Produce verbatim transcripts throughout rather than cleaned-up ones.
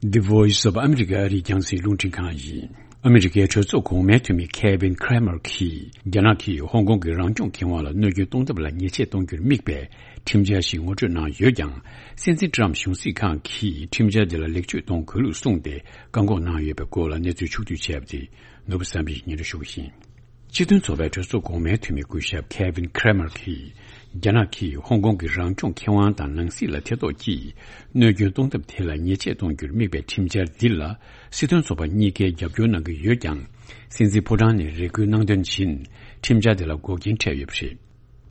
The Voice of America ཨ་རིའི་རྒྱང་སྲིང་རླུང་འཕྲིན་ཁང་ཡིན། ཨ་མི་རི་ཀའི་གྲོས་ཚོགས་གོང་མའི་འཐུས་མི་Kevin Cramer གྱིས། རྒྱ་ནག་གིས་ཧོང་ཀོང་གི་རང་སྐྱོང་ཁེ་དབང་ལ་གནོད་སྐྱོན་གཏོང་ཐབས་ལ་ཉེས་ཆད་གཏོང་རྒྱུར་དམིགས་པའི་ཁྲིམས་འཆར་ཞིག་ངོ་སྤྲོད་གནང་ཡོད་ཀྱང་། སྲིད་འཛིན་ཊམ་གཞུང་སྲིད་ཁང་གིས་ཁྲིམས་འཆར་དེ་ལ་ལེགས་བཅོས་གཏོང་དགོས་ལུགས་གསུངས་ཏེ། བཀག་འགོག་གནང་ཡོད་པའི་སྐོར་ལ་གནས་ཚུལ་ཕྱོགས་བསྡུས་བྱས་པ་དེ། ནོར་བུ་བསམ་འཕེལ་གྱིས་སྙན་སྒྲོན་ཞུ་བ་ཡིན། སྤྱི་མཐུན་ཚོགས་པའི་གྲོས་ཚོགས་གོང་མའི་འཐུས་མི་སྐུ་ཞབས་Kevin Cramer གྱིས། རྒྱ་ནག་གིས་ཧོང་ཀོང་གི་རང་སྐྱོང་ཁེ་དབང་དང་ནང་སྲིད་ལ་ཐེ་གཏོགས་ཀྱིས། གནོད་སྐྱོན་གཏོང་ཐབས་དེ་ལ་ཉེས་ཆད་གཏོང་རྒྱུར་དམིགས་པའི་ཁྲིམས་འཆར་འདི་ལ། སྲིད་དོན་ཚོགས་པ་གཉིས་ཀས་རྒྱབ་སྐྱོར་གནང་གི་ཡོད་ཀྱང་། སྲིད་འཛིན་ཕོ་བྲང་ནས་རེ་སྐུལ་གནང་དོན་བཞིན། ཁྲིམས་འཆར་དེ་ལ་འགོག་རྐྱེན་འཕྲད་ཡོད་པ་རེད།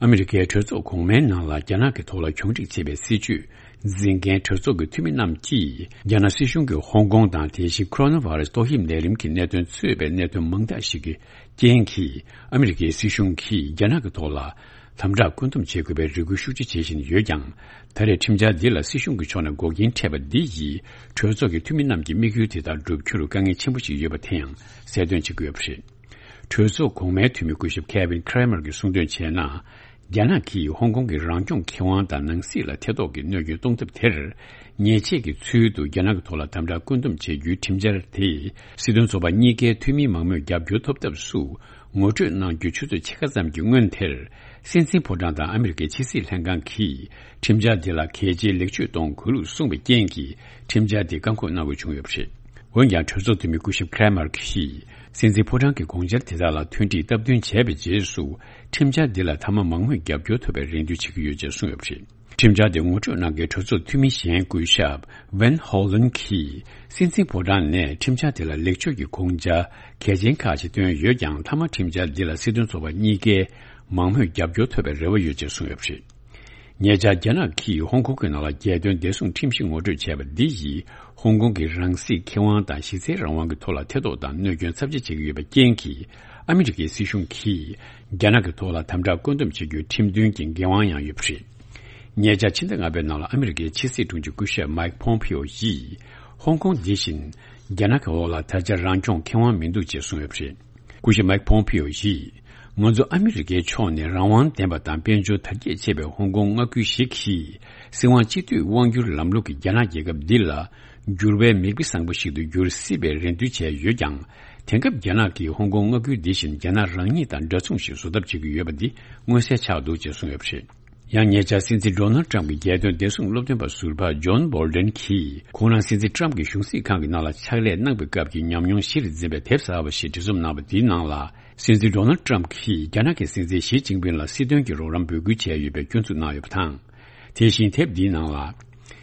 ཨ་མི་རི་ཀའི་གྲོས་ཚོགས་གོང་མའི་ནང་ལ་རྒྱ་ནག་གི་ཐོག་ལ་གྱོང་སྒྲིག་བྱེད་པའི་སྲིད་ཇུས་འཛིན་མཁན་གྲོས་ཚོགས་ཀྱི་འཐུས་མི་རྣམས་ཀྱིས། རྒྱ་ནག་སྲིད་གཞུང་གིས་ཧོང་ཀོང་དང་དེ་བཞིན་ཁོ་རོ་ན་བྷ་ར་སི་ཏོག་དབྱིབས་ནད་རིམས་ཀྱི་གནད་དོན་གཙོས་པའི་གནད་དོན་མང་དག་ཞིག་གི་རྐྱེན་གྱིས། ཨ་མི་རི་ཀའི་སྲིད་གཞུང་གིས་རྒྱ་ནག་གི་ཐོག་ལ་དམ་དྲག་བཀོད་འདོམས་བྱེད་དགོས་པའི་རེ་སྐུལ་ཤུགས་ཆེ་བྱེད་བཞིན་ཡོད་ཀྱང་། ད་རེས་ཁྲིམས་འཆར་འདི་ལ་སྲིད་གཞུང་གི་ཕྱོགས་ནས་འགོག་རྐྱེན་འཕྲད་པ་འདི་ཡིས། གྲོས་ཚོགས་ཀྱི་འཐུས་མི་རྣམས་ཀྱི་དམིགས་ཡུལ་དེ་དག་བསྒྲུབ་རྒྱུར་དཀའ་ངལ་ཆེན་པོ་ཞིག་ཡོད་པ་དེ་ཡང་གསལ་སྟོན་བྱེད་ཀྱི་ཡོད་པ་རེད། གྲོས་ཚོགས་གོང་མའི་འཐུས་མི་སྐུ་ཞབས་Kevin Cramer གྱིས་གསུངས་དོན་བྱས་ན། རྒྱ་ནག་གིས་ཧོང་ཀོང་གི་རང་སྐྱོང་ཁེ་དབང་དང་ནང་སྲིད་ལ་ཐེ་གཏོགས་ཀྱིས་གནོད་སྐྱོན་གཏོང་ཐབས་དེར། ཉེས་ཆད་ཀྱི་ཚུལ་དུ་རྒྱ་ནག་གི་ཐོག་ལ་དམ་དྲག་བཀོད་འདོམས་བྱེད་རྒྱུའི་ཁྲིམས་འཆར་དེས། སྲིད་དོན་ཚོགས་པ་གཉིས་ཀའི་འཐུས་མིའི་མང་མོས་རྒྱབ་སྐྱོར་ཐོབ་ཐབས་སུ། ངོ་སྤྲོད་གནང་རྒྱུ་ཆུ་ཚོད་ཕྱེད་ཀ་ཙམ་གྱི་སྔོན་དེར། སྲིད་འཛིན་ཕོ་བྲང་དང་ཨ་མི་རི་ཀའི་ཕྱི་སྲིད་ལྷན་ཁང་གིས། ཁྲིམས་འཆར་དེ་ལ་གལ་ཆེའི་ལེགས་བཅོས་གཏོང་དགོས་ལུགས་གསུངས་པའི་རྐྱེན་གྱིས། ཁྲིམས་འཆར་དེ་བཀག་འགོག་གནང་དགོས་བྱུང་ཡོད་པ་རེད། འོན་ཀྱང་། གྲོས་ཚོགས་འཐུས་མི་སྐུ་ཞབས་Cramer གྱིས། སྲིད་འཛིན་ཕོ་བྲང་གི་དགོངས་འཆར་དེ་དག་ལ་མཐུན་སྒྲིལ་སྟབས་བསྟུན་བྱས་པའི་རྗེས་སུ། ཁྲིམས་འཆར་འདི་ལ་མཐའ་མ་མང་མོས་རྒྱབ་སྐྱོར་ཐོབ་པའི་རེ་འདུན་བྱེད་ཀྱི་ཡོད་ཅེས་གསུངས་ཡོད་པ་རེད། ཁྲིམས་འཆར་དེ་ངོ་སྤྲོད་གནང་མཁན་གྲོས་ཚོགས་འཐུས་མི་གཞན་སྐུ་ཞབས་Van Hollen གྱིས། སྲིད་འཛིན་ཕོ་བྲང་ནས་ཁྲིམས་འཆར་དེ་ལ་ལེགས་བཅོས་ཀྱི་དགོངས་འཆར་གལ་ཆེན་ཁག་ཅིག་བཏོན་ཡོད་ཀྱང་། མཐའ་མ་ཁྲིམས་འཆར་འདི་ལ་སྲིད་དོན་ཚོགས་པ་གཉིས་ཀའི་མང་མོས་རྒྱབ་སྐྱོར་ཐོབ་པའི་རེ་བ་ཡོད་ཅེས་གསུངས་ཡོད་པ་རེད། ཉེ་ཆར་རྒྱ་ནག་གིས་ཧོང་ཀོང་གི་ནང་ལ་རྒྱལ་དོན་བདེ་སྲུང་ཁྲིམས་གཞི་ངོ་སྤྲོད་བྱས་པ་འདི་ཡིས། ཧོང་ཀོང་གི་རང་སྲིད་ཁེ་དབང་དང་གཞི་རྩའི་རང་དབང་གི་ཐོག་ལ་ཐེ་གཏོགས་དང་གནོད་སྐྱོན་ཚབས་ཆེ་བྱེད་ཀྱི་ཡོད་པའི་རྐྱེན་གྱིས། ཨ་མི་རི་ཀའི་སྲིད་གཞུང་གིས་རྒྱ་ནག་གི་ཐོག་ལ་དམ་དྲག་བཀོད་འདོམས་བྱེད་རྒྱུའི་ཁྲིམས་མཐུན་གྱི་འགན་དབང་ཡང་ཡོད་པ་རེད། ཉེ་ཆར་ཕྱི་ཟླ་ལྔ་པའི་ནང་ལ་ཨ་མི་རི་ཀའི་ཕྱི་སྲིད་དྲུང་ཆེ་སྐུ་ཞབས་Mike Pompeo ཡིས། ཧོང་ཀོང་འདི་བཞིན་རྒྱ་ནག་གི་འོག་ལ་ད་ཆ་རང་སྐྱོང་ཁེ་དབང་མི་འདུག་ཅེས་གསུངས་ཡོད་པ་རེད། སྐུ་ཞབས་Mike Pompeo ཡིས། ང་ཚོ་ཨ་མི་རི་ཀའི་ཕྱོགས་ནས་རང་དབང་ལྡན་པ་དང་དཔལ་འབྱོར་དར་རྒྱས་ཆེ་བའི་ཧོང་ཀོང་མངའ་ཁུལ་ཞིག་གིས། སྲིད་དབང་སྤྱི་འཐུས་དབང་སྒྱུར་ལམ་ལུགས་ཀྱི་རྒྱ་ནག་རྒྱལ་ཁབ་འདི་ལ། འགྱུར་བའི་མིག་དཔེ་བཟང་པོ་ཞིག་ཏུ་འགྱུར་སྲིད་པའི་རེ་འདུན་བྱས་ཡོད་ཀྱང་། དེང་སྐབས་རྒྱ་ནག་གིས་ཧོང་ཀོང་མངའ་ཁུལ་འདི་བཞིན་རྒྱ་ནག་རང་ཉིད་དང་འདྲ་མཚུངས་ཤིག་བཟོ་ཐབས་བྱེད་ཀྱི་ཡོད་པ་འདི་མངོན་གསལ་ཆགས་འདུག་ཅེས་གསུངས་ཡོད་པ་རེད། ཡང་ཉེ་ཆར་སྲིད་འཛིན་Donald Trump གྱི་རྒྱལ་དོན་བདེ་སྲུང་སློབ་སྟོན་པ་ཟུར་པ་John Bolton གྱིས། ཁོང་རང་སྲིད་འཛིན་Trump གྱི་གཞུང་སྲིད་ཁང་གི་ནང་ལ་ཕྱག་ལས་གནང་བའི་སྐབས་ཀྱི་ཉམས་མྱོང་གཞིར་འཛིན་པའི་དེབ་གསར་པ་ཞིག་འབྲི་རྩོམ་གནང་བ་འདིའི་ནང་ལ། སྲིད་འཛིན་Donald Trump གྱིས་རྒྱ་ནག་གི་སྲིད་འཛིན་ཞི་ཅིན་ཕིན་ལ་སྲིད་དོན་གྱི་རོགས་རམ་འབོད་སྐུལ་བྱས་ཡོད་པའི་སྐྱོན་འཛུགས་གནང་ཡོད་པ་དང་། དེ་བཞིན་དེབ་འདིའི་ནང་ལ།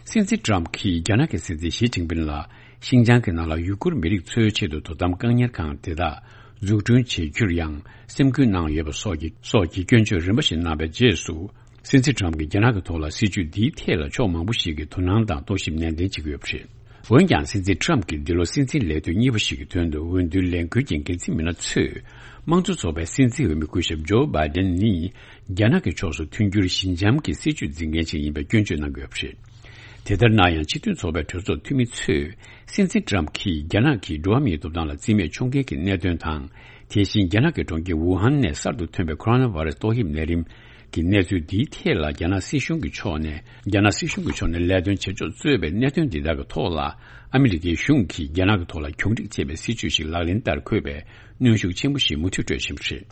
སྲིད་འཛིན་Trump གྱིས་རྒྱ་ནག་གི་སྲིད་འཛིན་ཞི་ཅིན་ཕིན་ལ། ཤིན་ཅང་གི་ནང་ལ་ཡུ་གུར་མི་རིགས་ཚོའི་ཆེད་དུ་དོ་དམ་བཀག་ཉར་ཁང་དེ་དག་འཛུགས་སྐྲུན་བྱེད་རྒྱུར་ཡང་སེམས་ཁུར་གནང་ཡོད་པ་སོགས་ཀྱི་སོགས་ཀྱི་སྐྱོན་བརྗོད་རིམ་པ་ཞིག་གནང་བའི་རྗེས་སུ། སྲིད་འཛིན་Trump གྱིས་རྒྱ་ནག་གི་ཐོག་ལ་སྲིད་བྱུས་འདིའི་ཐད་ལ་ཕྱོགས་མང་པོ་ཞིག་གིས་དོ་སྣང་དང་རྟོག་ཞིབ་ནན་ཏན་བྱེད་ཀྱི་ཡོད་པ་རེད། འོན་ཀྱང་། སྲིད་འཛིན་Trump གྱིས་འདི་ལོ་སྲིད་འཛིན་ལས་དོན་གཉིས་པ་ཞིག་གི་དོན་དུ་འོས་བསྡུའི་ལས་འགུལ་གྱི་འགན་འཛིན་མི་སྣ་ཚོས། དམངས་གཙོ་ཚོགས་པའི་སྲིད་འཛིན་འོས་མི་སྐུ་ཞབས་Joe Biden ནི། རྒྱ་ནག་གི་ཕྱོགས་སུ་མཐུན་འགྱུར་ཞི་འཇམ་གྱི་སྲིད་བྱུས་འཛིན་མཁན་ཞིག་ཡིན་པའི་སྐྱོན་བརྗོད་གནང་གི་ཡོད་པ་རེད། དེ་ལྟར་ན་ཡང་། སྤྱི་མཐུན་ཚོགས་པའི་གྲོས་ཚོགས་འཐུས་མི་ཚོས། སྲིད་འཛིན་Trump གྱིས་རྒྱ་ནག་གིས་འགྲོ་བ་མིའི་ཐོབ་ཐང་ལ་བརྩི་མེད་འཁྱོངས་མཁན་གྱི་གནད་དོན་དང་། དེ་བཞིན་རྒྱ་ནག་གི་གྲོང་ཁྱེར་ཝུ་ཧན་ནས་གསར་དུ་ཐོན་པའི་ཁོ་རོ་ན་བྷ་ར་སི་ཏོག་དབྱིབས་ནད་རིམས་ཀྱི་གནས་ཚུལ་འདིའི་ཐད་ལ། རྒྱ་ནག་སྲིད་གཞུང་གི་ཕྱོགས་ནས། རྒྱ་ནག་སྲིད་གཞུང་གི་ཕྱོགས་ནས་ལས་དོན་བྱེད་ཕྱོགས་གཙོས་པའི་གནད་དོན་འདི་དག་གི་ཐོག་ལ། ཨ་མི་རི་ཀའི་གཞུང་གིས་རྒྱ་ནག་གི་ཐོག་ལ་གྱོང་རྒུད་ཆེ་བའི་སྲིད་བྱུས་ཤིག་ལག་ལེན་བསྟར་དགོས་པའི་གནོན་ཤུགས་ཆེན་པོ་ཞིག་མུ་མཐུད་སྤྲོད་བཞིན་པ་རེད།